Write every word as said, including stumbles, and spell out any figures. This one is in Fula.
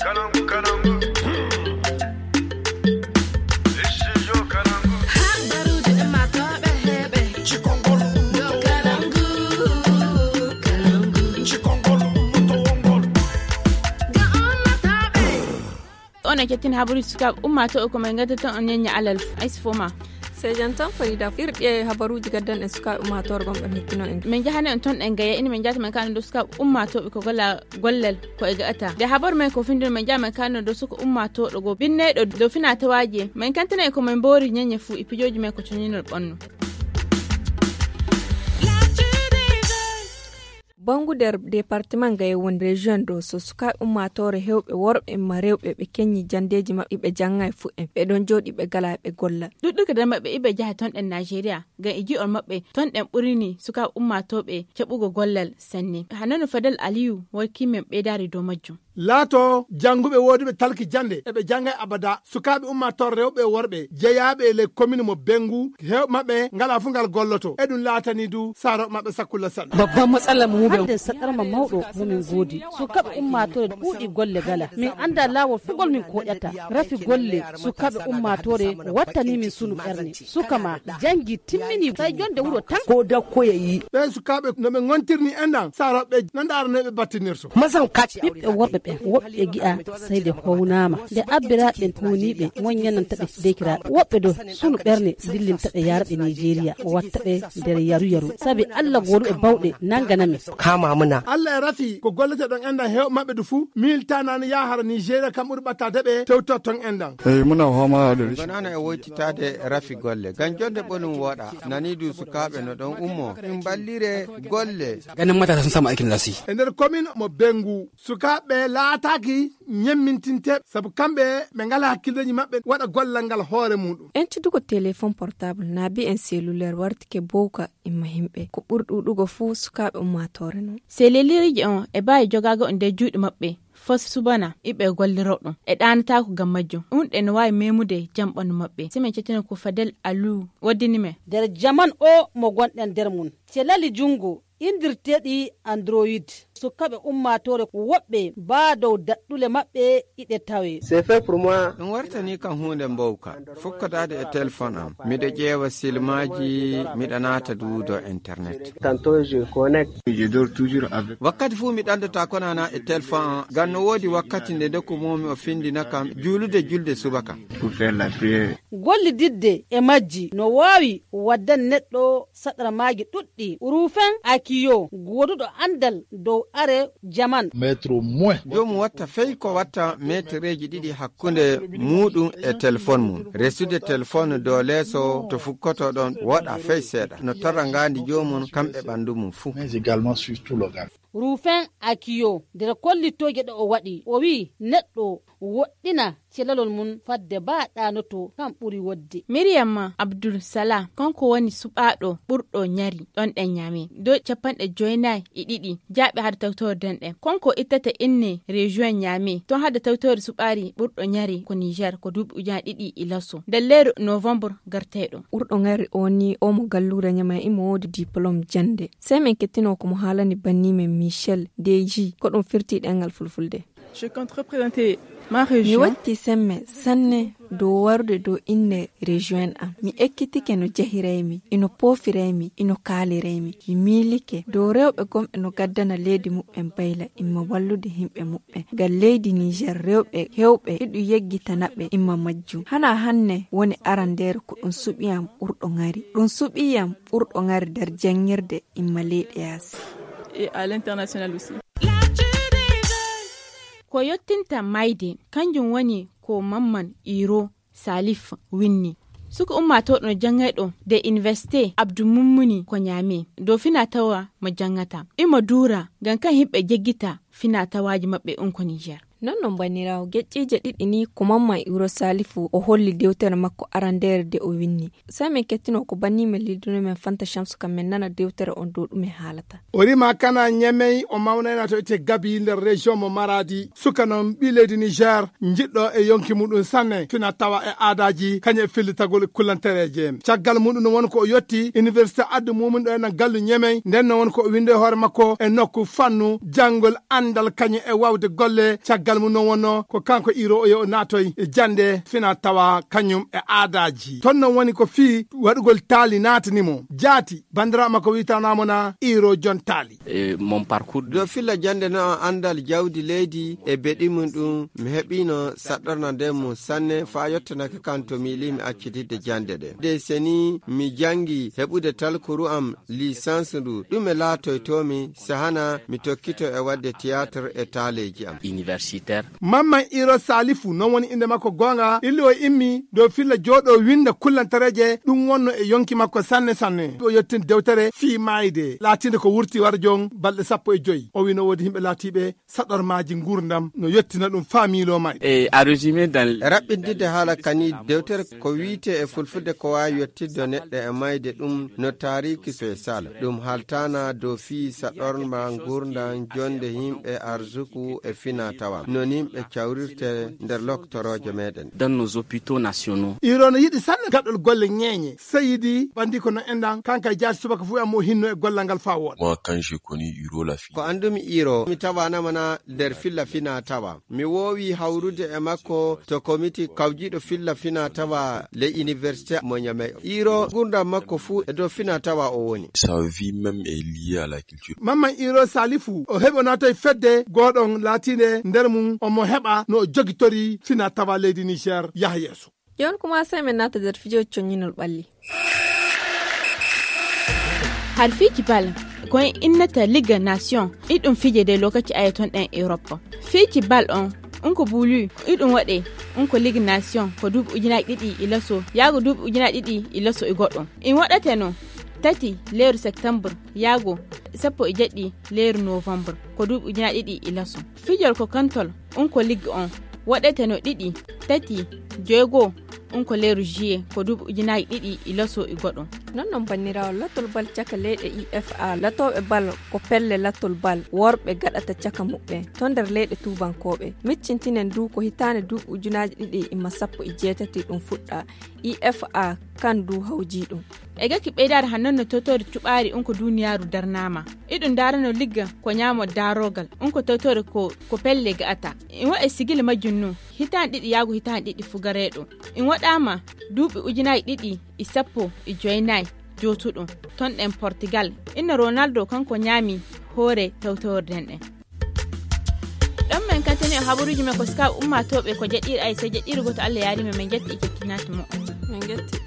On e kettin habaruuji sukaaɓe ummaatooɓe ko men ngadda tan on ñeñña alal. Aysi fo ma sejan tan farida firɗi e habaruuji gaddan en sukaaɓe ummaatoore gonɓe hettino en. Min njahani on ton ɗen gaya ina min njahata men kano dow sukaaɓe ummaatooɓe ko golla gollal ko e gaata nde habar men ko findino min njaha men kano dow suka ummaatooɗo goo binneyɗo dow fina tawaaji en min kantana en ko min mboori ñeñe fuu e pijooji men ko coñinol ɓonno. Bangu nder departement nga e woni région ɗo so sukaaɓe ummaatoore heewɓe worɓe ma rewɓe ɓe keñi janndeeji maɓɓe ɓe jannga e fuɗɗen ɓe ɗon jooɗi ɓe gala ɓe golla. Ɗuɗɗuka nder maɓɓe iɓe njaha ton ɗen nigeria ngam e ji'ol maɓɓe ton ɗen ɓurini sukaaɓe ummaatooɓe jaɓugo gollal sanne hano no fadel aliyu warki men ɓeydaari dow majjum. Laato jannguɓe wooduɓe talki jannde eɓe jannga e abada sukaaɓe ummaatoore rewɓe e worɓe jeyaaɓe e ley komin mo benngu heewɓe maɓɓe ngala fuu ngal golloto e ɗum laatani du saarooɓe maɓɓe sakkulla sanne. Babban matsala mu mu ɓe. Hande saɗarma mawɗo mo min ngoodi sukaaɓe ummaatoore ɗuuɗi golle gala min annda laawol fugol min koɗata rafi golle sukaaɓe ummaatoore wattani min sunu ɓerne suka ma janngi timmini say jonde wuro tan. Ko dakkoya yi. Ɓen sukaaɓe no ɓe ngontirni enɗan saarooɓe no ndaaranoy ɓe battinirto. Mazan kati ɓiɓɓe worɓe ɓen woɓɓe gi'a sey nde hownaama nde abbiraaɓe ɓen huuniiɓe moññananta ɓe deykiraaɓe woɓɓe do sunu ɓerne dillinta ɓe yaara ɓe nigeria watta ɓe nder yaru yaru sabi allah gooduɗo bawɗe nangana men. Kama muna. Allah e rafi ko gollete ɗon enɗan heewɓe maɓɓe du fuu miiltanani yahara nigeria kam ɓuri ɓattade ɓe tewtotton enɗan. Eyi muna homaade. Gonano e woytitaade rafi golle ngam jonde ɓonum woɗa nani du sukaaɓe no ɗon ummo ɗum ballire golle. Ganin matasa sun samu aikin za su yi. E nder komin mo bengu sukaaɓe laataaki ñemmintinteeɓe sabu kamɓe ɓe ngala hakkilleeji maɓɓe waɗa gollal ngal hoore muɗum. Entudugo telefon portable naabi en selulaire wartike bowka imma himɓe ko ɓuri ɗuɗugo fuu sukaaɓe ummaatoore non. Seleliriji on e baawi jogaago on nder juuɗe maɓɓe fos subana iɓe golliro ɗum e ɗaanataako ngam majjum ɗum ɗe no waawi memude jam ɓandu maɓɓe si min cettina ko fadel alu waddini men. Nder jaman o mo gonɗen nder mum celali junngo indirteeɗi android sukaaɓe ummaatoore woɓɓe baa dow daɗɗule maɓɓe iɗe tawe. Ɗum wartani kam huunde mbowka fukkodaade e telefon am miɗo ƴeewa silmaaji miɗo naata duudo internet. Wakkati fuu mi ɗanndata konana e telefon am ngam no woodi wakkati nde ndoku moomi o findina kam juulude julde subaka. Gollididde e majji no waawi waddan neɗɗo saɗarmaaji ɗuɗɗi ruufen akiyo gooduɗo anndal dow are jaman. Joomum watta fey ko watta metereeji ɗiɗi hakkunde muuɗum e telefon mum resude telefon dow leeso to fukkoto ɗon woɗa fey seeɗa no torra ngaandi joomum kam e ɓanndu mum fuu. Ruufen akiyo nder kollitooje ɗe o waɗi o wi'i neɗɗo woɗɗina celalol mum fadde baa ɗaanoto kam ɓuri wodde. Miriyam ma abdul salah kanko woni suɓaaɗo ɓurɗo ñari ɗon ɗen ñaame dow capanɗe joynayi e ɗiɗi jaaɓe hade tawtorde ɗen ɗen kanko ittata inne region ñaame ton hade tawtorde suɓaari ɓurɗo ñari ko niger ko duuɓi ujunaaji ɗiɗi e laso nder lewru novembre garteyɗo. Ɓurɗo ñari o ni o mo galluure ñaame imo woodi diplôme jannde sey min kettino ko mo haalani banni men michel deji ko ɗum firti ɗengal fulfulde. Mi watti semme sanne dow warude dow inne rejoin am mi ekkitike no jehiraymi ino poofiraymi ino kaaliraymi mi miilike dow rewɓe gomɓe no gaddana leydi muɓɓen bayla imma wallude himɓe muɓɓen ngal leydi niger rewɓe hewɓe iɗu yeggitana ɓe imma majjum hana hanne woni arandeere ko ɗum suɓiyam ɓurɗo ŋari ɗum suɓiyam ɓurɗo ŋari nder janngirde imma leyɗe yaasi. Ko yottinta mayde kanjum woni ko mamman iro salif winni suka ummaatoɗo no janngayɗo de université abdou mummuni ko ñaame dow fina tawa mo janngata imo duura ngam kan yimɓe jeggita fina tawaaji maɓɓe un ko niger. Non non banniraawo geƴƴiije ɗiɗi ni ko mamman iro salifu o holli dewtere makko arandeere de o winni. Sey min kettino ko banni men lilduno men fanta shamsu kam min nana dewtere on dow ɗum en haalata. O rima kana ñemey o mawnayna to itte gabi nder région mo maradi suka non ɓi leydi niger jiɗɗo e yonki muɗum sanne fina tawa e aadaji kañum e fillitagol kullantereje caggal muɗum no won ko o yetti université addu mumin ɗo ena gallu ñemey nden no won ko o windi e hoore makko e nokku fannu janngol anndal kañum e wawde golle caggal Almu noon wonno ko kanko iro o yo naatoy e jannde fina tawa kañum e aadaaji. Toon noon woni ko fii waɗugol taali naatani mo. Jaati, banndiraawo makko wiyetanaamo na iro jon taali. E mon parcours. Dow filla jannde no anndal jawdi leydi e beɗi mum ɗum, mi heɓiino saɗɗorna nden mum sanne faa yottanake kan to miilimi accitidde jannde ɗe. De seni mi janngi heɓude talkuru am licence ndu, ɗume laatoytoomi si hana mi tokkito e waɗde théâtre e taaleeji am. Universitaire. Mamman Iro Salifu, noon woni innde makko goonga, illi o immi dow filla jooɗo winnda kullantareeje, ɗum wonno e yonki makko sanne sanne. O yottin dewtere fii maayde, laatinde ko wurti war jon balɗe sappo e joy. O wii no woodi yimɓe laatiiɓe saɗormaaji nguurndam no yottina ɗum faa miiloo maayde. E a résumé dans. Raɓɓindinde haala kani dewtere ko wiyte e fulfulde ko waawi yottirde neɗɗo e mayde ɗum no taariki spécial. Ɗum haltaana dow fii saɗorma nguurndam jonde yimɓe arsuku e fina tawa. Non yimɓe cawrirte nder loktorooje meɗen. Dans nos hôpitaux nationaux. Iro no yiɗi sanne gaɗol golle ñeeñe. Seyidi ɓandi ko no enɗan kanka e jaati subaka fuu am o hinno e gollal ngal faa wooɗa. Moi, quand je connais Iro la fille. Ko anndumi Iro, mi tawaanama na nder filla fina tawa. Mi woowi hawrude e makko to komiti kawjiiɗo filla fina tawa le université mo Ñamey. Iro nguurndam makko fuu e dow fina tawa o woni. Sa vie même est liée à la culture. Mamman Iro Salifu, o heɓi o naatoy fedde gooɗon laatiinde nder mum omo heɓa no o jogitori fina tawa leydi Niger yaha yeeso. Jooni kuma sey men naata nder fijooji coññinol ɓalli. Har fiiji bal, ko en innata Ligue Nation, iɗum fije de lokaci aye ton ɗen Europe. Fiiji bal on, un ko buulu, iɗum waɗe, un ko Ligue Nation, ko duuɓi ujunaaji ɗiɗi e laso, yaago duuɓi ujunaaji ɗiɗi e laso e goɗɗo. In waɗate no, tati leeru septembre, yaago sappo e jeɗɗi leeru novembre, ko duuɓi ujunaaji ɗiɗi e laso. Fijol ko kantol, un ko Ligue on, waɗete no ɗiɗi, tati, joygo, un ko leeru juillet, ko duuɓi ujunaaji ɗiɗi e laso e goɗo. Non non banniraawo latol bal caka leyɗe I F A, latooɓe bal ko pelle latol bal worɓe gaɗata caka muɓɓen to nder leyɗe tuubankooɓe. Miccintinen du ko hitaande duuɓi ujunaaji ɗiɗi e sappo e jeetati ɗum fuɗɗa. I F A kan du hawjii ɗum. E gaki ɓeydaade han non no totore cuɓaari un ko duuniyaaru darnaama. Iɗum daarano ligga ko ñaamo daarogal, un ko totore ko, ko pelle ga'ata. In waɗa sigili majjum nun, hitaande ɗiɗi yaago hitaande ɗiɗi fugareeɗo. In waɗaama duuɓi ujunaaji ɗiɗi e sappo e joynayi jootuɗum, ton ɗen Portugal. Inna Ronaldo kanko ñaami hoore tawtaworden ɗen. Ɗon men kantini e habaruuji men ko sukaa ummaatooɓe ko jeɗɗiiri ay, sey jeɗɗiiri gooto Allah yaari men, men jetti e jettinaaki mo. Men jetti